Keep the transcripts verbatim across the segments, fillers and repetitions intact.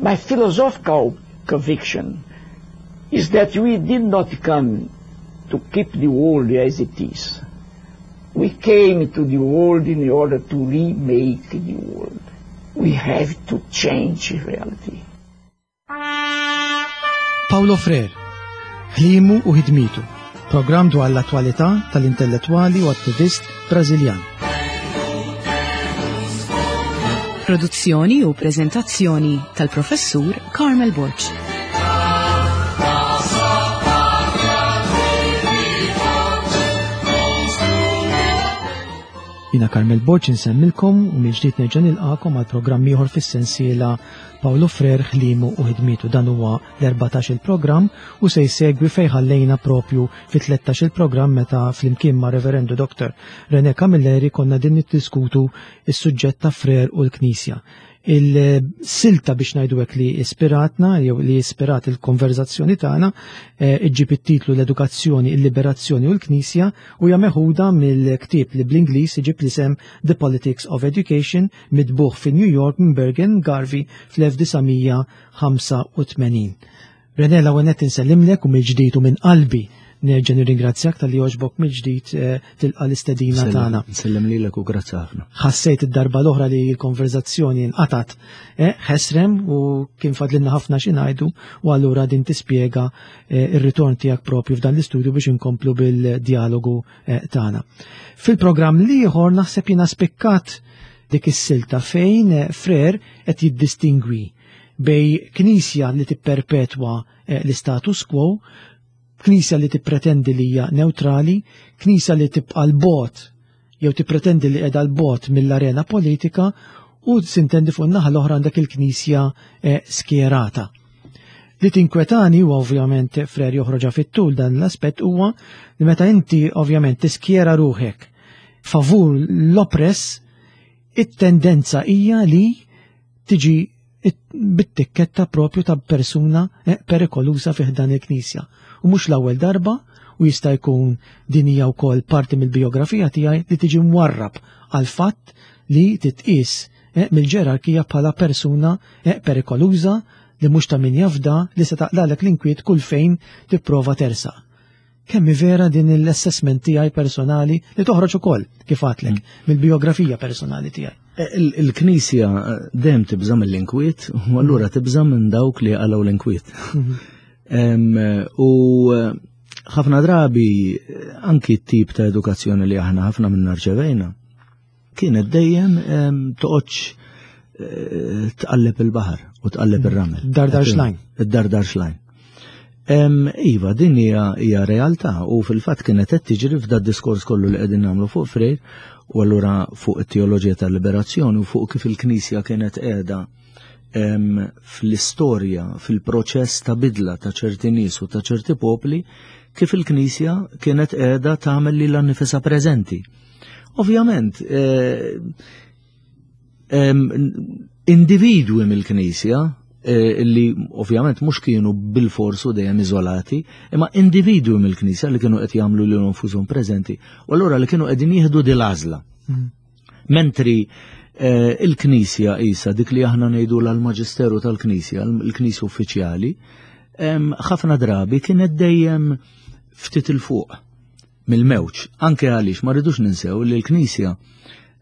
My philosophical conviction is that we did not come to keep the world as it is. We came to the world in order to remake the world. We have to change reality. Paulo Freire, ħlimu u ħidmitu, programm dwar l-attwalità tal-intellettwali u attivist Brażiljan. Produzzjoni u prezentazzjoni tal-professur Carmel Borg. Jina Carmel Borg insemmilkom u mill-ġdid nerġa' nilqakom għal programm ieħor fis-sensiela Paulo Freire ħlimu u ħidmietu. Dan huwa l-erbatax il-programm u se jsegwi fejn ħallejna propju fit-tlettax il-programm meta flimkien ma' Reverendu Doktor René Camilleri konna din niddiskutu is-suġġett ta' Freire u l-Knisja. Il-silta biex ngħidu hekk li ispiratna jew li ispirat il-konverzazzjoni tagħna, eh, iġġib it-titlu l-Edukazzjoni, il-Liberazzjoni u l-Knisja u hija meħuda mill-ktieb li bl-Ingliż iġib l-isem The Politics of Education mitbuħ fi New York minn Bergen Garvey fl-elf disa' mija ħamsa u tmenin. René, l-ewwel nett insellimlek u mill-ġdid u minn qalbi nerġa' nirringrazzjak tal-li għoġbok mill-ġdid, eh, tilqa' l-istedina Nsellem, tagħna. Nsellem lilek u grazzi ħafna. Ħassejt id-darba l-oħra li l-konverzazzjoni nqatat, eh, ħesrem u kien fadlilna ħafna xi ngħidu u allura din tispjega, eh, ir-ritorn tiegħek propju f'dan l-istudju biex inkomplu bil-dialogu, eh, tagħna. Fil-programm l-ieħor naħseb jiena spikkat dik is-silta fejn, eh, Freire qed jiddistingwi bej knisja li tipperpetwa, eh, l-istatus quo, knisja li tippretendi li hija neutrali, knisja li tibqa' l-bot jew tippretendi li qiegħda l-bot mill-arena politika u sintendi fuq in-naħa l-oħra għandek il-knisja, eh, skjerata. Li tinkwetani u ovvjament Freire joħroġha fit-tul dan l-aspett huwa li meta inti ovvjament tiskjera ruħek favur l-oppress, it-tendenza hija li tiġi bit-tikketta propju ta' persuna, eh, perikolusa fih dan il-knisja. U mhux l-ewwel darba, u jista' jkun din hija wkoll parti mill-biografija tiegħi li tiġi mwarrab għal fatt li titqies, eh, mill-ġerarkija bħala persuna, eh, perikoluża li mhux ta' min jafda li se taqlalek l-inkwiet kull fejn tipprova tersaq. Kemm hi vera din l-assessment tiegħi personali li toħroġ ukoll kif għadlek Mm. mill-biografija personali tiegħi. Eh, il-, il-Knisja, eh, dejjem tibża' mill-inkwiet u allura tibża' minn dawk li qalgħu l-inkwiet. Mhm. Em, u, eh, ħafna drabi, eh, anki t-tip ta' edukazzjoni li aħna ħafna minna rċevejna kienet dejjem, em, toqgħodx, eh, tqalleb il-baħar u tqalleb ir-ramel. Dardar xlajn. Id-dardar xlajn. Em, Iva, din hija, hija realtà u fil-fatt kienet qed tiġri f'da diskors kollu li qegħdin nagħmlu fuq Freire u allura fuq it-teoloġija tal-liberazzjoni u fuq kif il-Knisja kienet qiegħda, em, fl-istorja, fil-proċess ta' bidla ta' ċerti nies u ta' ċerti popli, kif il-Knisja kienet qiegħda tagħmel lilha nnifisha preżenti. Ovvjament, eh, em, individwi mill-Knisja, eh, li ovvjament mhux kienu bil-forsu dejjem iżolati, imma individwi mill-Knisja li kienu qed jagħmlu lilhom nfushom preżenti, u allura li kienu qegħdin jieħdu din l-għażla. Mm. Mentri, eh, il-Knisja isa dik li aħna ngħidu l-Maġisteru tal-Knisja, l-Knisja uffiċjali, em, ħafna drabi kienet dejjem ftit il fuq mill-mewġ, anke għaliex ma rridux ninsew li l-Knisja,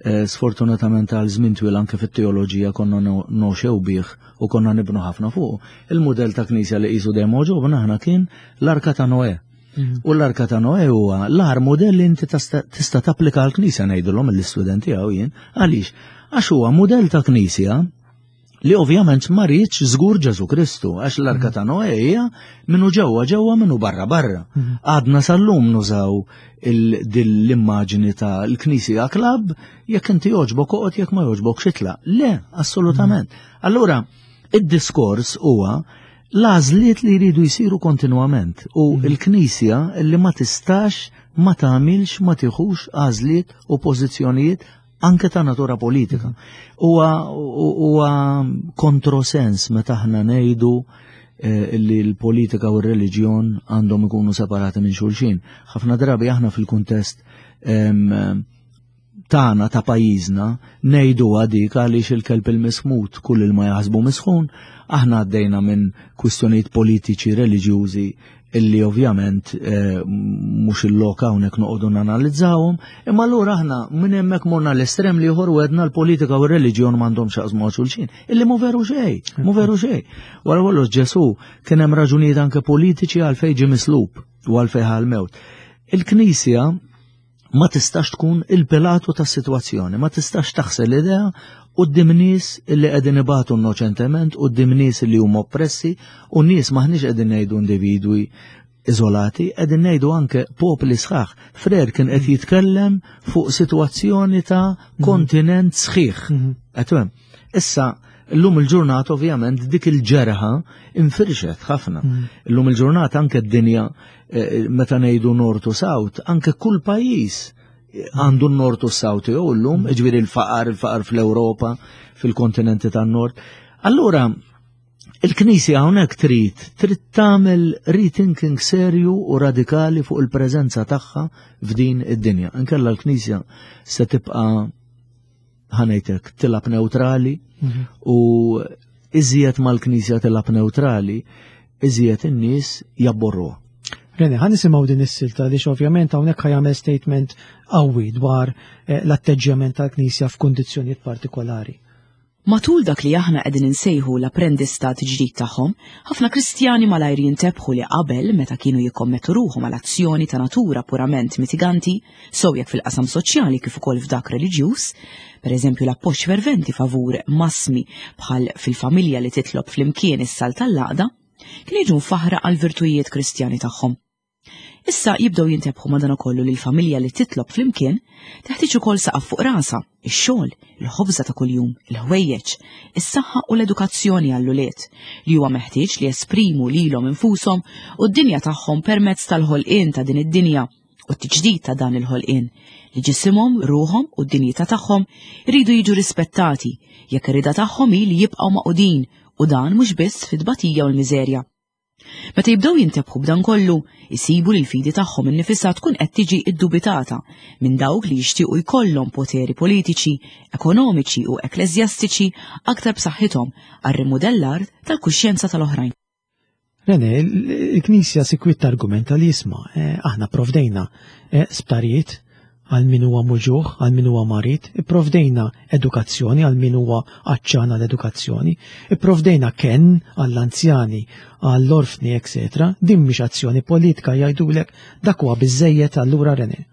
eh, sfortunatament għal żmien twil anke fit-teoloġija konna no-, noxew bih u konna nibnu ħafna fuq. Il-mudell ta' Knisja li qisu dejjem għoġobna aħna kien l-Arka ta' Noè. Mhm. U l-Arka ta' Noè huwa l-agħar mudell li inti tista', tista' tapplika għall-Knisja, ngħidulhom l-istudenti għaw jien. Għaliex? Għax huwa mudell ta' Knisja li ovvjament ma riedx żgur Ġesu Kristu, għax l-Arka ta' Noè hija minnu ġewwa ġewwa minnu barra barra. Mhm. Għadna sal-lum nużaw il-, din l-immaġni ta' l-Knisja klab, jekk inti jogħġbok oqgħod, jekk ma jogħġbok xitla. Le, assolutament. Mhm. Allura, id-diskors huwa l-għażliet li jridu jsiru kontinwament u Mhm. l-Knisja li ma tistax ma tagħmilx ma tieħux għażliet u pożizzjonijiet anke ta' natura politika. Huwa, huwa kontrosens meta aħna ngħidu, eh, li l-politika u r-reliġjon għandhom ikunu separati minn xulxin. Ħafna drabi aħna fil-kuntest, em, tagħna ta' pajjiżna ngħidu dik għaliex il-kelb il-mismut kull il ma jaħsbu misħun, aħna għaddejna minn kwistjonijiet politiċi, reliġjużi illi ovvjament eh, mhux il-lok hawnhekk noqogħdu nanalizzawhom, imma allura aħna minn hemmhekk morna l-estrem li ieħor u għedna l-politika u r-reliġjon m'għandhom x'jaqsmu ma' xulxin, illi mhu veru xejn, mhu veru xejn. Wara kollox Ġesù kien hemm raġunijiet anke politiċi għalfejn ġie mislub u għalfejn ħa l-mewt. Il-Knisja ma tistax tkun il-Pilatu tas-sitwazzjoni, ma tistax taħsel idea quddiem nies illi qegħdin ibatu innoċentement, quddiem nies li huma oppressi, u nies maħniex qegħdin ngħidu individwi iżolati, qegħdin ngħidu anke popli sħaħ. Frere kien qed jitkellem fuq sitwazzjoni ta' kontinent sħiħ. Qed Issa, illum il-ġurnata ovvjament dik il-ġerħa infirxet ħafna. Illum il-ġurnata anke d-dinja eh, meta ngħidu nord u south, anke kull pajjiż għandu n-nord u south jew illum, ġifieri il-faqar, il-faqar fl-Ewropa, fil-kontinenti tan-nord. Allura, il-Knisja hawnhekk trid trid tagħmel rethinking serju u radikali fuq il-preżenza tagħha f'din id-dinja. Inkella l-Knisja se tibqa' ħa ngħidlek tilgħab neutrali u iżjed mal-Knisja tilgħab neutrali, iżjed in-nies jabborruha. Rene, ħa nisimgħu din is-silta li ovvjament hawnhekk ħa jagħmel statement qawwi dwar eh, l-atteġġjament tal-Knisja f'kundizzjonijiet partikolari. Matul dak li aħna qegħdin insejħu l-apprendistat ġdid tagħhom, ħafna Kristjani malajr jintebħu li qabel meta kienu jikkommettu ruħhom għal azzjoni ta' natura purament mitiganti, sew jekk fil-qasam soċjali kif ukoll f'dak reliġjuż, per eżempju l-appoġġ ferventi favur massimi bħal fil-familja li titlob flimkien is-sal tal-laqda, kienu jiġu mfaħra għal virtujiet Kristjani tagħhom. Issa jibdew jintebħu madanakollu li l-familja li titlob flimkien teħtieġ ukoll saqaf fuq rasha, ix-xogħol, il-ħobża ta' kuljum, il-ħwejjeġ, is-saħħa u l-edukazzjoni għall-ulied li huwa meħtieġ li jesprimu lilhom infushom u d-dinja tagħhom permezz tal-ħolqien ta' din id-dinja u t-tiġdid ta' dan il-ħolqien li ġisimhom, ruħhom u d-dinjità tagħhom iridu jiġu rispettati jekk ir-rida tagħhom hi li jibqgħu magħqudin u dan mhux biss fit-tbatija u l-miżerja. Meta jibdew jintebħu b'dan kollu, isibu li l-fidi tagħhom innifisha tkun qed tiġi iddubitata minn dawk li jixtiequ jkollhom poteri politiċi, ekonomiċi u ekkleżjastiċi aktar b'saħħithom għar-rimudellar tal-kuxjenza tal-oħrajn. Rene, il-Knisja sikwit argumenta li jisma', eh, aħna provdejna eh, sptarijiet għal min huwa muġugħ, għal min huwa marid, ipprovdejna edukazzjoni għal min huwa għatxan għall-edukazzjoni, ipprovdejna ken għall-anzjani, għall-orfni, eccetera. Din mhix azzjoni politika jgħidulek dak huwa biżejjed allura Rene.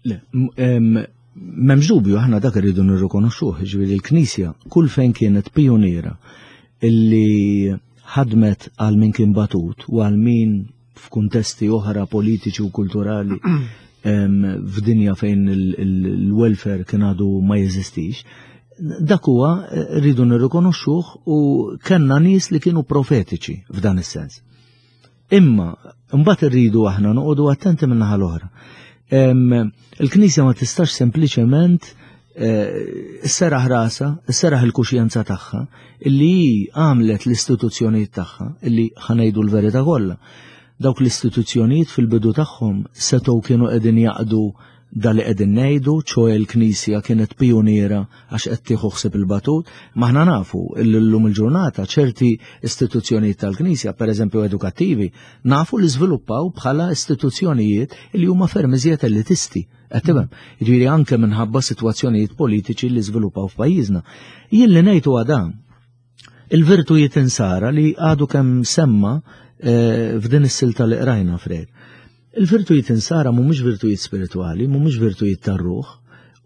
Le, m'hemmx dubju aħna dak irridu nirrikonoxxuh, ġifieri l-Knisja kull fejn kienet pioniera illi ħadmet għal min kien batut u għal min f'kuntesti oħra politiċi u kulturali f'dinja fejn il-welfare kien għadu ma jeżistix, dak huwa rridu nirrikonoxxuh u kellna nies li kienu profetiċi f'dan is-sens. Imma mbagħad irridu aħna noqogħdu attenti minn naħa l-oħra. Il-Knisja ma tistax sempliċement sserraħ rasha, sserraħ il-kuxjenza tagħha, illi hi għamlet l-istituzzjonijiet tagħha, illi ħa ngħidu l-verità kollha. Dawk l-istituzzjonijiet fil-bidu tagħhom setgħu kienu qegħdin jaqdu dak li qegħdin ngħidu, ċoè l-Knisja kienet pioniera għax qed tieħu ħsieb il-batut, ma aħna nafu illi llum il-ġurnata ċerti istituzzjonijiet tal-Knisja, pereżempju edukattivi, nafu li żviluppaw bħala istituzzjonijiet li huma ferm iżjed elitisti. Qed tifhem? Jiġifieri anke minħabba sitwazzjonijiet politiċi li żviluppaw f'pajjiżna. Jien li ngħidu għada, il-virtujiet insara li għadu kemm semma eh, f'din is-silta li qrajna Frere. Il-virtujiet insara mhumiex virtujiet spiritwali, mhumiex virtujiet tar-ruħ,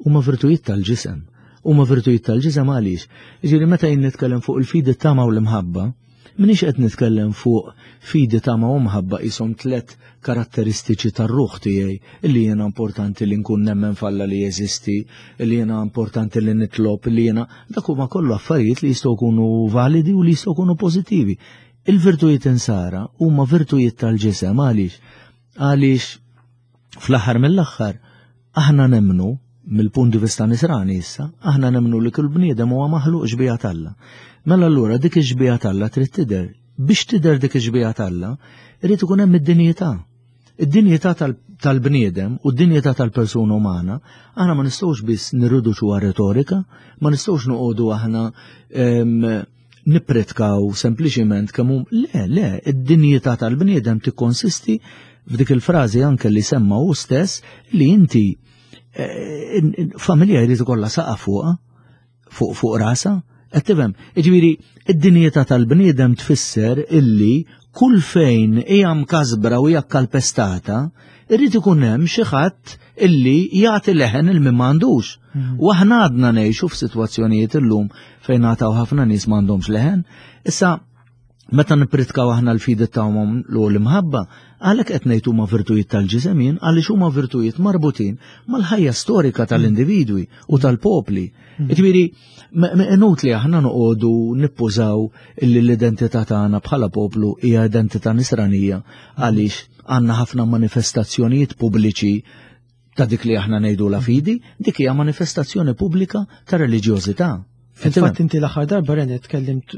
huma virtujiet tal-ġisem. Huma virtujiet tal-ġisem għaliex? Jiġifieri meta jien nitkellem fuq il-fidi tama u l-imħabba, minix qed nitkellem fuq fidi tama u mħabba qishom tliet karatteristiċi tar-ruħ tiegħi illi jiena importanti li nkun nemmen f'Alla li jeżisti, illi jiena importanti li nitlob, illi jiena dak huma kollu affarijiet li jistgħu jkunu validi u li jistgħu jkunu pożittivi. Il-virtujiet insara huma virtujiet tal-ġisem għaliex? Għaliex fl-aħħar mill-aħħar aħna nemmnu mill-punt di vista nisrani issa, aħna nemmnu li kull bniedem huwa maħluq xbieha t'Alla. Mela allura dik ix-xbieha t'Alla trid tidher. Biex tidher dik ix-xbieha t'Alla, irid ikun hemm id-dinjità. Id-dinjità tal-bniedem u d-dinjità tal-persuna umana, aħna ma nistgħux biss nirriduċuha retorika, ma nistgħux noqogħdu aħna nippritkaw sempliċiment kemm hu le, le, id-dinjità tal-bniedem tikkonsisti f'dik il-frażi anke li semma hu stess li inti familja jrid ikollha saqa fuqha, fuq fuq rasa, qed tifhem. Jiġifieri id-dinjità tal-bniedem tfisser illi kull fejn hija mkasbra u hija kalpestata, irrid ikun hemm xi ħadd illi jagħti leħen il min m'għandux. U aħna għadna ngħixu f'sitwazzjonijiet illum fejn għataw ħafna nies m'għandhomx leħen. Issa meta nippritkaw aħna l-fidi tagħhom l imħabba, għalhekk qed ngħid huma virtujiet tal-ġisem jien għaliex huma virtujiet marbutin mal-ħajja storika tal-individwi u tal-popli. Jiġifieri inutli aħna noqogħdu nippużaw illi l-identità tagħna bħala poplu hija identità nisranija għaliex għandna ħafna manifestazzjonijiet pubbliċi ta' dik li aħna ngħidu la fidi, dik hija manifestazzjoni pubblika ta' reliġjożità. Fil-fatt inti l-aħħar darba René tkellimt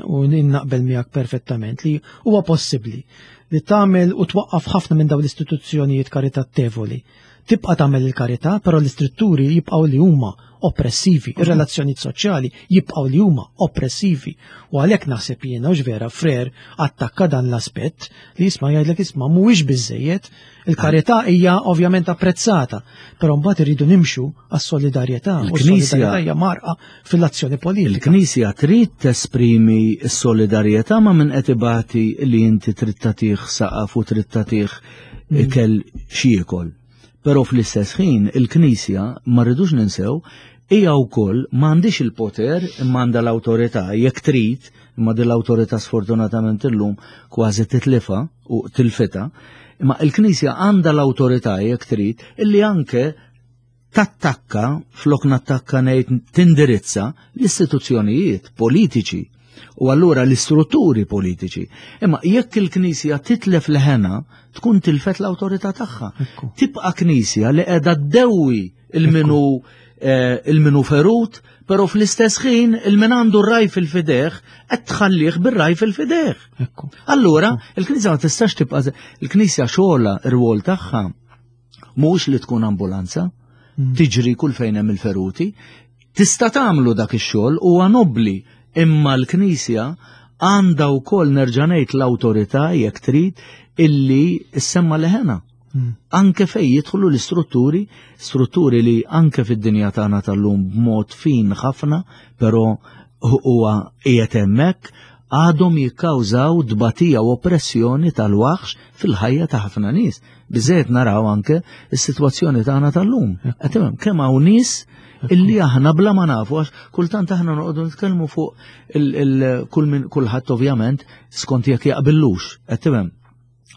u naqbel miegħek perfettament li huwa possibbli li tagħmel u twaqqaf ħafna minn dawn l-istituzzjonijiet karitatevoli. Tibqa' tagħmel il-karità, però l-istrutturi jibqgħu li huma oppressivi, ir-relazzjonijiet soċjali jibqgħu li huma oppressivi. U għalhekk naħseb jiena u vera Frere attakka dan l-aspett li jisma' jgħidlek isma' mhuwiex biżejjed, il-karità hija ovvjament apprezzata, però mbagħad irridu nimxu għas-solidarjetà. U s-solidarjetà hija marqa fil-azzjoni politika. Il-Knisja trid tesprimi s-solidarjetà ma' min qed ibati li inti trid tagħtih saqaf u trid tagħtih ikel x'jiekol. Però fl-istess ħin il-Knisja ma rridux ninsew hija wkoll m'għandix il-poter imma għandha l-awtorità jekk trid, imma din l-awtorità sfortunatament illum kważi titlifa u tilfita, imma il-Knisja għandha l-awtorità jekk trid illi anke tattakka, flok nattakka ngħid tindirizza l-istituzzjonijiet politiċi u allura l-istrutturi politiċi. Imma jekk il-Knisja titlef leħena, tkun tilfet l-awtorità tagħha. Tibqa' Knisja li qiegħda ddewwi il-minu il-minu ferut, però fl-istess ħin il-min għandu r-raj fil-fideħ qed tħallih bir-raj fil-fideħ. Allura, il-Knisja ma tistax tibqa' il-Knisja xogħla r-rwol tagħha mhux li tkun ambulanza, tiġri kull fejn hemm il-feruti, tista' tagħmlu dak ix-xogħol huwa nobbli, imma l-Knisja għandha wkoll nerġa' ngħid l-awtorità jekk trid illi ssemma leħena. Anke fej jidħlu l-istrutturi, strutturi li anke fid-dinja tagħna tal-lum b'mod fin ħafna, però huwa qiegħed hemmhekk, għadhom jikkawżaw tbatija u oppressjoni tal-waħx fil-ħajja ta' ħafna nies. Biżejjed naraw anke s-sitwazzjoni tagħna tal-lum. Qed tifhem kemm hawn nies illi aħna bla ma nafu, għax kultant aħna noqogħdu nitkellmu fuq il kull min kulħadd ovvjament skont jekk jaqbillux, qed tifhem?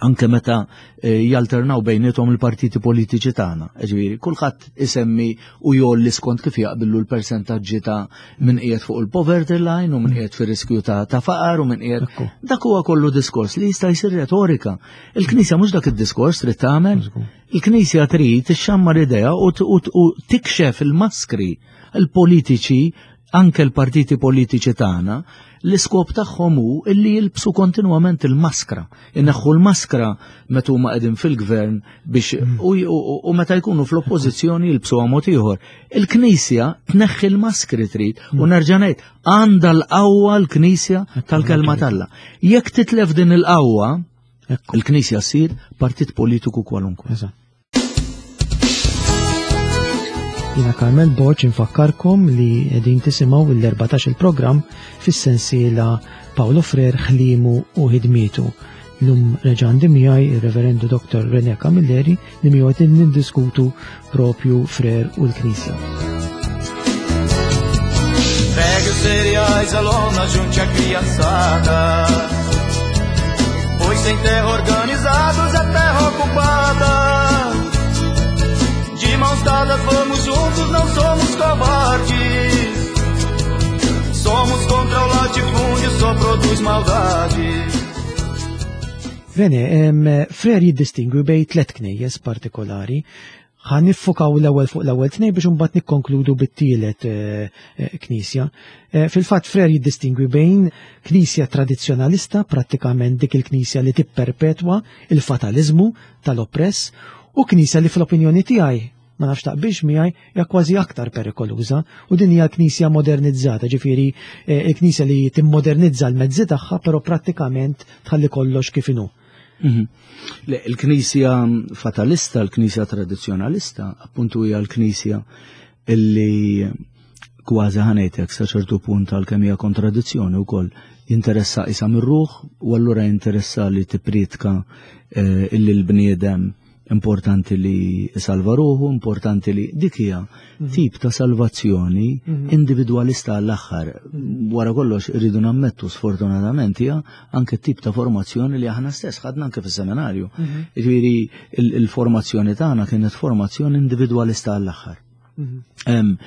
Anke meta jalternaw bejniethom il-partiti politiċi tagħna. Ġifieri, kulħadd isemmi u jolli skont kif jaqbillu l-persentaġġi ta' min qiegħed fuq il-poverty line u min qiegħed fir-riskju ta' ta' faqar u min qiegħed. Dak huwa kollu diskors li jista' jsir retorika. Il-Knisja mhux dak id-diskors trid tagħmel. Il-Knisja trid ixxammar idea u tikxef il-maskri il-politiċi, anke l-partiti politiċi tagħna, l-iskop tagħhom hu illi jilbsu kontinwament il-maskra. Inneħħu l-maskra meta huma qegħdin fil-gvern biex u meta jkunu fl-oppożizzjoni jilbsuha mod ieħor. Il-Knisja tneħħi l-maskri trid u nerġa' ngħid għandha l-qawwa l-Knisja tal-kelma t'Alla. Jekk titlef din il-qawwa, il-Knisja ssir partit politiku kwalunkwe. Jina Carmel Borg infakkarkom li qegħdin tisimgħu l-erbatax il-programm fis-sensiela Paolo Frere ħlimu u ħidmietu. Lum reġa' għandi miegħi ir-Reverendu Doktor René Camilleri li miegħu qed niddiskutu propju Frere u l-Knisja. Pegue os cereais, a lona, junte a criançada, pois sem terra organizados a terra ocupada. De mãos dadas vamos juntos, não somos covardes. Somos contra o latifúndio, só produz maldade. René, Frere jiddistingwi bejn tliet knejjes partikolari. Ħa niffukaw l-ewwel fuq l-ewwel tnejn biex imbagħad nikkonkludu bit-tielet knisja. Fil-fatt Frere jiddistingwi bejn knisja tradizzjonalista, prattikament dik il-knisja li tipperpetwa il-fataliżmu tal-oppress, U knisja li fl-opinjoni tiegħi, ma nafx taqbilx miegħi, hija kważi aktar perikoluża, u din hija l-knisja modernizzata, ġifieri eh, il-knisja li timmodernizza l-mezzi tagħha, però prattikament tħalli kollox kif inhu. Mhm. Le, il-knisja fatalista, il-knisja tradizzjonalista, appuntu hija l-knisja illi kważi ħa ngħidlek sa ċertu punt, għalkemm hija kontradizzjoni wkoll, jinteressa isa mir-ruħ u allura jinteressa li tippriedka eh, illi l-bniedem importanti li salva ruħu, importanti li dik hija tip ta' salvazzjoni individualista għall-aħħar. Wara kollox irridu nammettu, sfortunatament hija anke tip ta' formazzjoni li aħna stess ħadna anke fis-seminarju. Ġifieri il-formazzjoni tagħna kienet formazzjoni individualista għall-aħħar. Em,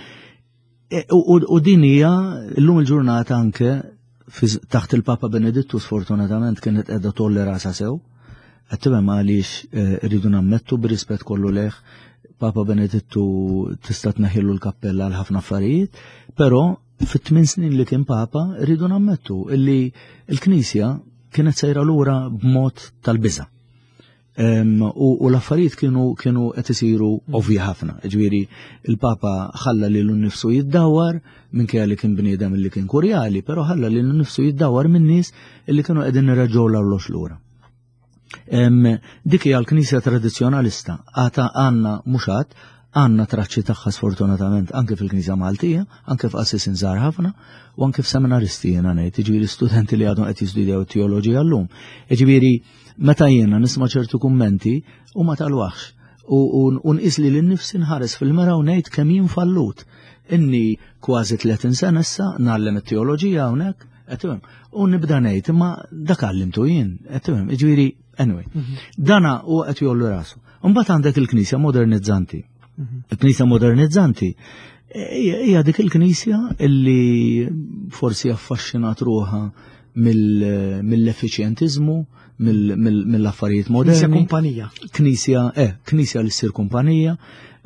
e, U u- u din hija llum il-ġurnata anke fi- taħt il-Papa Benedittu sfortunatament kienet qiegħda tgħolli rasha sew. Qed tifhem għaliex eh, rridu nammettu b'rispett kollu lejh, Papa Benedittu tista' tneħħilu l-kappella għal ħafna affarijiet, però fit-tmien snin li kien Papa rridu nammettu illi l-Knisja kienet sejra lura b'mod tal-biża'. Em, u, u l-affarijiet kienu kienu qed isiru ovvji ħafna. Ġifieri il-Papa ħalla lilu nnifsu jiddawar minkejja li kien bniedem li kien kurjali, però ħalla lilu nnifsu jiddawar minn nies illi kienu qegħdin ireġgħu l-arloġġ lura. Em, dik hija l-Knisja tradizzjonalista, għata għandna mhux għad, għandna traċċi tagħha sfortunatament anke fil-Knisja Maltija, anke f'qassisin żgħar ħafna u anke f'seminaristi jiena ngħid, jiġifieri studenti li għadhom qed jistudjaw teoloġija llum. Jiġifieri meta jiena nisma' ċertu kummenti u ma tal-waħx u, u, u nqis li l-nifsi nħares fil-mera u ngħid kemm jien fallut. Inni kważi tletin sena issa ngħallem it-teoloġija hawnhekk, qed tifhem, u nibda ngħid imma dak għallimtu jien, qed tifhem, jiġifieri anyway. Dana u qed jgħollu rasu. Mbagħad għandek il-Knisja modernizzanti. Il-Knisja modernizzanti hija hija dik il-Knisja illi forsi affaxxinat ruħha mill- mill-effiċjentiżmu, mill- mill- mill-affarijiet Knisja moderni. kumpanija. Knisja, eh, knisja li ssir kumpanija,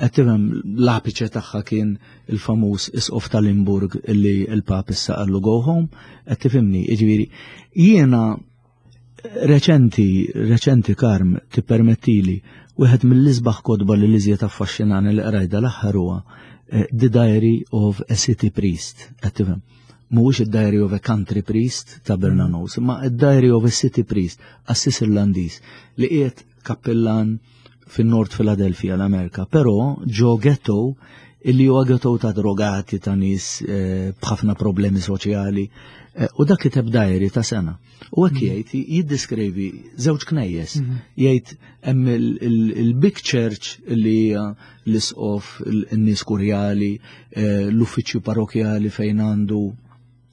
qed tifhem, l-apiċe tagħha kien il-famuż isqof tal-Limburg illi il-Pap issa qallu "go home", qed tifhimni, jiġifieri jiena reċenti, reċenti Karm, tippermettili, wieħed mill-isbaħ kotba li l-iżjed affaxxinani li qrajda l-aħħar huwa eh, The Diary of a City Priest, qed tifhem. Mhuwiex id-Diary of a Country Priest ta' Bernanos, ma id-Diary of a City Priest, qassis Irlandiż li qiegħed kappillan fin-Nord Philadelphia l-Amerika, però ġo ghetto illi huwa ghetto ta' drogati, ta' nies eh, b'ħafna problemi soċjali. Eh, u dak kiteb diary ta' sena. U hekk jgħid, jiddiskrivi żewġ knejjes. Jgħid hemm il-big church li hija l-isqof, in-nies kurjali, eh, l-uffiċċju parrokjali fejn għandu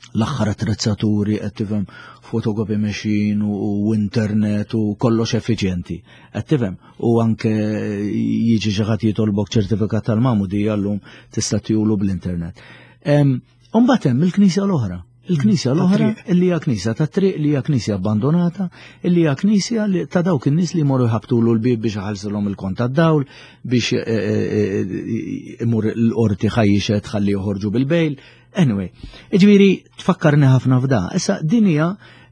l-aħħar attrezzaturi, qed tifhem, photocopy machine u, u internet u kollox effiċjenti. Qed tifhem, u anke jiġi xi ħadd jitolbok ċertifikat tal-magħmudija llum tista' tagħtihulu bl-internet. Imbagħad hemm il-knisja l-oħra. Il-knisja l-oħra illi hija knisja ta' triq, li hija knisja abbandonata, illi hija knisja li ta' dawk in-nies li jmorru jħabtulu l-bib biex iħallsilhom il-kont tad-dawl, biex eh, eh, eh, imur l-qorti ħajjixet ħalli joħorġu bil-bail. Anyway, ġifieri tfakkarni ħafna f'da. Issa din hija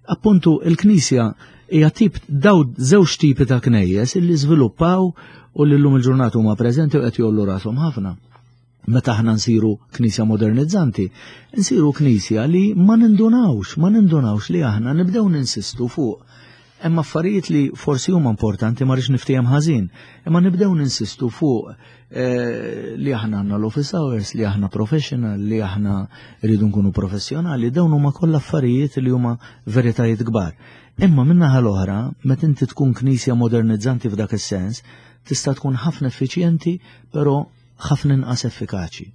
appuntu il-knisja, hija tip daw żewġ tipi ta' knejjes illi żviluppaw u li llum il-ġurnata huma preżenti u qed jgħollu rashom ħafna. Meta aħna nsiru knisja modernizzanti, nsiru knisja li ma nindunawx, ma nindunawx li aħna nibdew ninsistu fuq hemm affarijiet li forsi huma importanti, ma rridx niftiehem ħażin, imma nibdew ninsistu fuq eh, li aħna għandna l-office hours, li aħna professional, li aħna rridu nkunu professjonali, dawn huma kollha affarijiet li huma veritajiet kbar. Imma min-naħa l-oħra, meta inti tkun knisja modernizzanti f'dak is-sens, tista' tkun ħafna effiċjenti, però ħafna inqas effikaċi.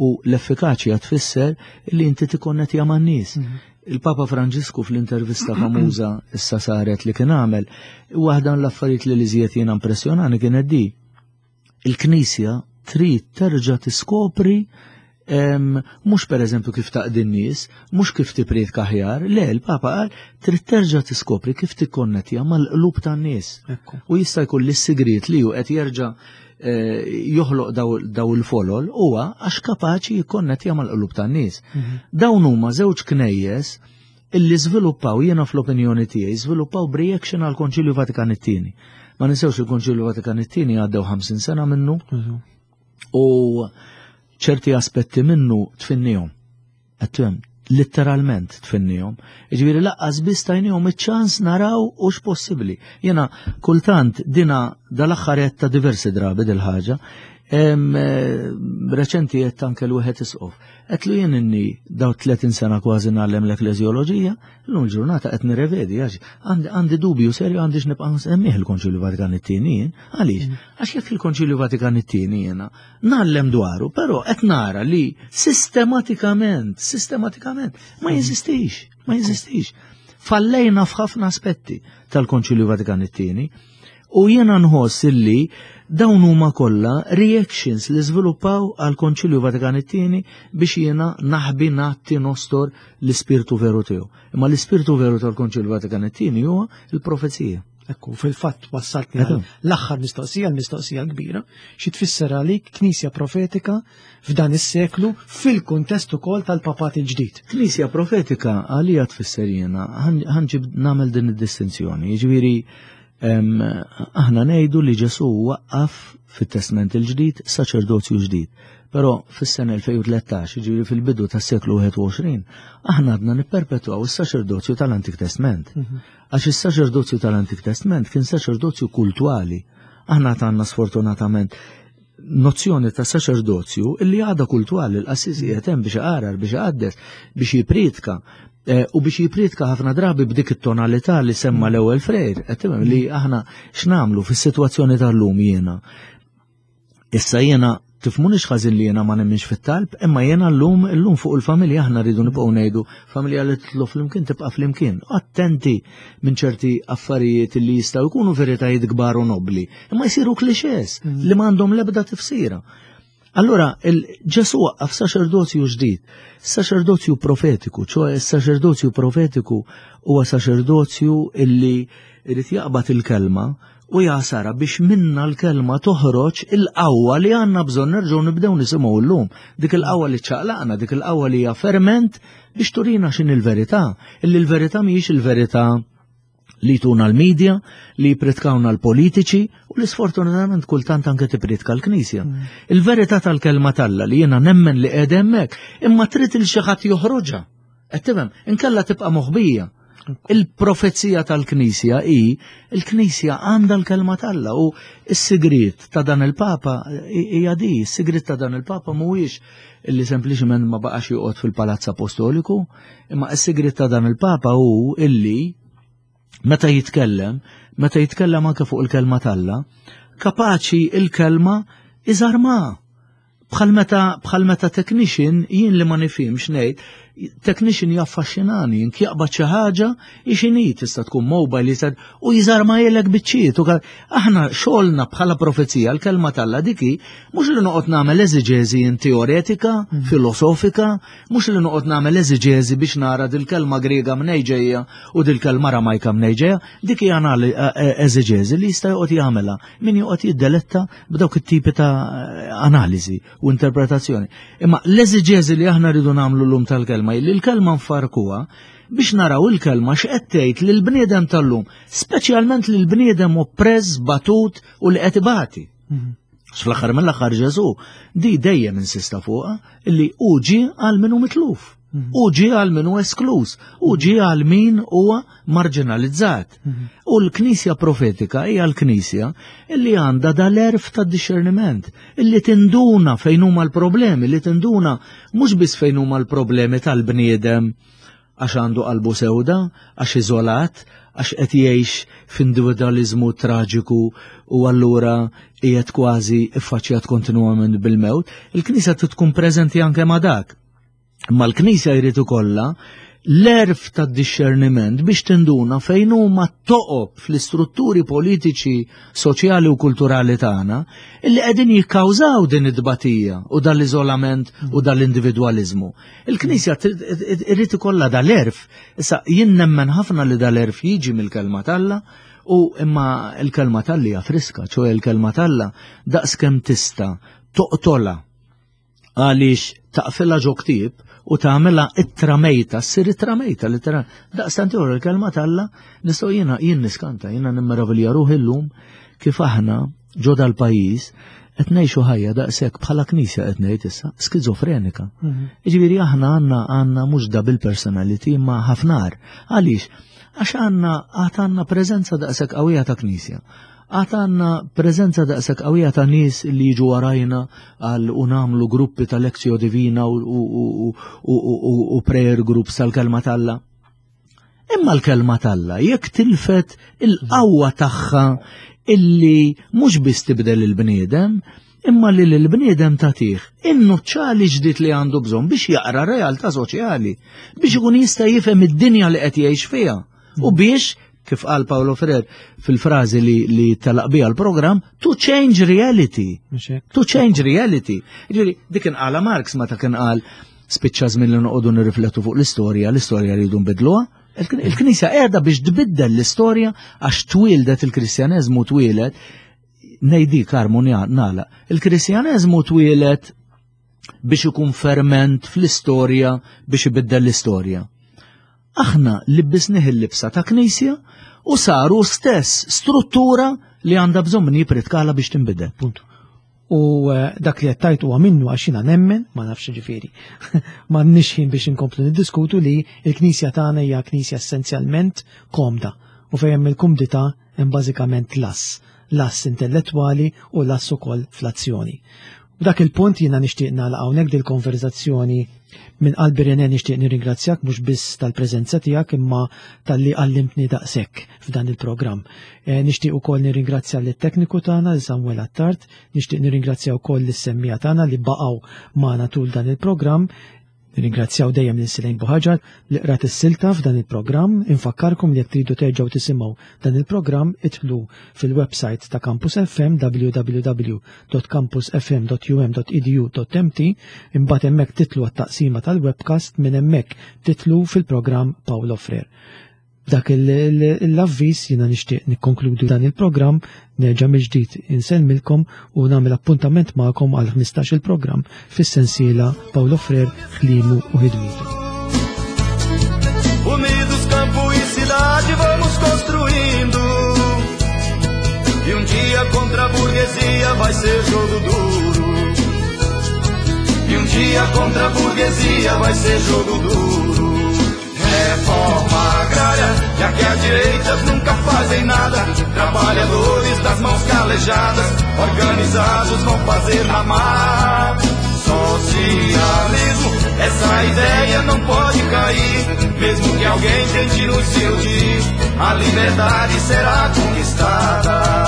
U l-effikaċja tfisser li inti tikkonnettja man-nies. Il-Papa Franġisku fl-intervista famuża issa saret li kien għamel, waħda l-affarijiet li l-iżjed jiena impressjonani kienet di. Il-Knisja trid terġa' tiskopri em, mhux per eżempju kif taqdi n-nies, mhux kif tippriedka aħjar, le, il-Papa qal trid terġa' tiskopri kif tikkonnettja mal-qlub tan-nies. Ekku. U jista' jkun li s-sigriet li hu qed jerġa' eh, joħloq daw, daw il-folol huwa għax kapaċi jikkonnettja mal-qlub tan-nies. Dawn huma żewġ knejjes illi żviluppaw, jiena fl-opinjoni tiegħi żviluppaw b'reaction għal Konċilju Vatikan it-tieni. Ma ninsewx il-Konċilju Vatikan it-tieni għaddew ħamsin sena minnu u ċerti aspetti minnu tfinnihom. Qed letteralment tfinnihom. Jiġifieri lanqas biss tajnihom iċ-ċans naraw hux possibbli. Jiena kultant dina dal-aħħar ta' diversi drabi dil-ħaġa, reċenti qed anke l-wieħed isqof. Għedtlu jien inni daw tletin sena kważi ngħallem l-ekleżjoloġija, llum il-ġurnata qed nirrevedi għax għandi dubju serju għandix nibqa' nsemmih il-Konċilju Vatikan it-tieni jien. Għaliex? Għax jekk il-Konċilju Vatikan it-tieni jiena ngħallem dwaru, però qed nara li sistematikament, sistematikament ma jeżistix, ma jeżistix. Fallejna f'ħafna aspetti tal-Konċilju Vatikan it-tieni. U jiena nħoss illi dawn huma kollha reactions li żviluppaw għal Konċilju Vatikan it-tieni biex jiena naħbi natti nostor l-ispirtu veru tiegħu. Imma l-ispirtu veru tal-Konċilju Vatikan it-tieni huwa il-profezija. Ekku, fil-fatt wassaltni l-aħħar mistoqsija, l-mistoqsija l-kbira, xi tfisser għalik Knisja profetika f'dan is-seklu fil-kuntest ukoll tal-papat il-ġdid. Knisja profetika għalija tfisser jiena, ħa nġib nagħmel din id-distinzjoni, jiġifieri aħna ngħidu li Ġesu waqqaf fit-Testament il-ġdid saċerdozju ġdid. Però fis-sena elfejn u tlettax, jiġifieri fil-bidu tas-seklu wieħed u għoxrin, aħna għadna nipperpetwaw is-saċerdozju tal-Antik Testament. Għax is-saċerdozju tal-Antik Testament kien saċerdozju kultwali. Aħna għandna sfortunatament nozzjoni ta' saċerdozju illi għadha kultwali, l-qassis qiegħed hemm biex iqarar, biex iqaddes, biex jipritka. U biex jipritka ħafna drabi b'dik it-tonalità li semma l-ewwel Frejr, qed tifhem li aħna x'nagħmlu fis-sitwazzjoni tal-lum jiena. Issa jiena tifmunix ħażin li jiena ma nemminx fit-talb, imma jiena llum illum fuq il-familja aħna rridu nibqgħu ngħidu familja li titlu flimkien tibqa' flimkien. Attenti minn ċerti affarijiet li jistgħu jkunu veritajiet kbar u nobli, imma jsiru clichés li m'għandhom l-ebda tifsira. Allora, il-Ġesu waqqaf saċerdozju ġdid, saċerdozju profetiku, ċoħe saċerdozju profetiku huwa saċerdozju illi irid jaqbad il-kelma u jasara biex minna l-kelma toħroġ il-qawwa li għandna bżonn nerġgħu nibdew nisimgħu llum. Dik il-qawwa li ċaqlaqna, dik il-qawwa li hija ferment biex turina x'in il-verità. Illi l-verità mhijiex il-verità li tuna l-medja, li jipritkawna l-politiċi u li sfortunatament kultant anke tipritka l-Knisja. Il-verità tal-kelma t'Alla li jiena nemmen li qiegħed hemmhekk, imma trid il xi ħadd joħroġha. Qed tifhem, inkella tibqa' moħbija. Il-profezija tal-Knisja hi, il-Knisja għandha l-kelma t'Alla u s-sigriet ta' dan il-Papa hija di, s-sigriet ta' dan il-Papa mhuwiex illi sempliċement ma baqax joqgħod fil-Palazz Apostoliku, imma s-sigriet ta' dan il-Papa hu illi meta jitkellem, meta jitkellem anke fuq il-kelma t'Alla, kapaċi il-kelma iżarma. Bħal meta, bħal meta technician, jien li ma nifhimx ngħid, technician jaffaxxinani, jien jaqbad xi ħaġa ixini tista' tkun mobile jista' u jiżarma jelek biċċiet. U aħna xogħolna bħala profezija l-kelma t'Alla diki mhux li noqgħod nagħmel eżiġeżi teoretika, mm. filosofika, mhux li noqgħod nagħmel eżiġeżi biex nara dil-kelma Griega mnej ġejja u dil-kelma Ramajka mnej ġejja, dik hija eżiġeżi li jista' joqgħod jagħmilha min joqgħod jiddeletta b'dawk it-tipi ta' analiżi u interpretazzjoni. Imma l-eżiġeżi li aħna rridu nagħmlu llum tal-kelma li l-kelma nfarkuha biex naraw il-kelma x'qed tgħid lill-bniedem tal-lum, speċjalment lill-bniedem oppress, batut u li qed ibati. Fl-aħħar mill-aħħar Ġesu di dejjem insista fuqha illi hu ġie għal min hu mitluf, hu ġie għal min hu esklus, hu ġie għal min huwa marginalizzat. U l-Knisja profetika hija l-Knisja illi għandha dal-għerf ta' discerniment, illi tinduna fejn huma l-problemi, li tinduna mhux biss fejn huma l-problemi tal-bniedem għax għandu qalbu sewda, għax iżolat, għax qed jgħix f'individualizmu traġiku u allura qiegħed kważi iffaċċjat kontinwament bil-mewt. Il-Knisja trid tkun preżenti anke ma' dak. Imma l-Knisja jrid ikollha l-għerf tad-discerniment biex tinduna fejn huma toqob fl-istrutturi politiċi, soċjali u kulturali tagħna illi qegħdin jikkawżaw din it-tbatija u dal-iżolament u dal-individwaliżmu. Il-Knisja irid ikollha dal-għerf. Issa jien nemmen ħafna li dal-għerf jiġi mill-kelma t'Alla u imma l-kelma t'Alla hija friska, ċoe l-kelma t'Alla daqskemm tista' toqtolha għaliex taqfilha ġo ktieb u tagħmilha ittra mejta, ssir ittra mejta litteral. Daqstant ieħor il-kelma t'Alla nistgħu jiena jien niskanta, jiena nimmeravilja ruħi llum kif aħna ġo dal-pajjiż qed ngħixu ħajja daqshekk bħala knisja qed ngħid issa skizofrenika. Jiġifieri aħna għandna għandna mhux double personality imma ħafna agħar. Għaliex? Għax għandna għad għandna preżenza daqshekk qawwija ta' knisja. Għad għandna preżenza daqshekk qawwija ta' nies li jiġu warajna għal u nagħmlu gruppi ta' Lectio Divina u, u, u, u, u, u prayer groups tal-kelma t'Alla. Imma l-kelma t'Alla jekk tilfet il-qawwa tagħha illi mhux biss tibdel il-bniedem, imma li l-bniedem tagħtih in-nuċċali ġdid li għandu bżonn biex jaqra realtà soċjali, biex ikun jista' jifhem id-dinja li qed jgħix fiha u biex, kif qal Paulo Freire fil-frażi li, li telaq biha l-programm, to change reality. Mhux hekk? To change reality. Ġifieri, dik kien qala Marx meta kien qal spiċċa żmien li noqogħdu nirriflettu fuq l-istorja, l-istorja rridu nbidluha. Il- Il-Knisja qiegħda biex tbiddel l-istorja għax twieldet il-Kristjaneżmu twieled, ngħidi Karmu nagħlaq, il-Kristjaneżmu twieled biex ikun ferment fl-istorja biex ibiddel l-istorja. Aħna libbisnih il-libsa ta' knisja u saru stess struttura li għandha bżonn min jippritkala biex tinbidel. Puntu. U eh, dak li qed tgħid huwa minnu għax jiena nemmen, ma nafx ġifieri. M'għandniex ħin biex inkomplu niddiskutu li l-Knisja tagħna hija knisja essenzjalment komda u fejn hemm il-kumdità hemm bażikament lass, lass intellettwali u lass ukoll fl-azzjoni. U dak il-punt jiena nixtieq nagħlaq hawnhekk dil-konverzazzjoni. Minn qalbi, René, nixtieq nirringrazzjak mhux biss tal-preżenza tiegħek imma talli għallimtni daqshekk f'dan il-programm. Eh, nixtieq ukoll nirringrazzja lit-tekniku tagħna li Samuel Attard, nixtieq nirringrazzja wkoll lis-semmiegħa tagħna li baqgħu magħna tul dan il-programm. Nirringrazzjaw dejjem lil Silejn Buħaġar li qrat is-silta f'dan il-programm. Infakkarkom li jekk tridu terġgħu tisimgħu dan il-programm idħlu fil-website ta' Campus F M, w w w punt campusfm punt u m punt edu punt m t, imbagħad hemmhekk titlu għat-taqsima tal-webcast, minn hemmhekk titlu fil-programm Paulo Freire. Dak l-avviż jiena nixtieq nikkonkludu dan il-programm, nerġa' mill-ġdid insellmilkom u nagħmel appuntament magħkom għal ħmistax il-programm fis-sensiela Paulo Freire, ħlimu u ħidmitu. Unidos, campo e cidade, vamos construindo. E um dia contra a burguesia vai ser jogo duro. E um dia contra a burguesia vai ser jogo duro. Reforma agrária, já que as direitas nunca fazem nada. Trabalhadores das mãos calejadas, organizados vão fazer ramar. Socialismo, essa ideia não pode cair. Mesmo que alguém tente nos iludir, a liberdade será conquistada.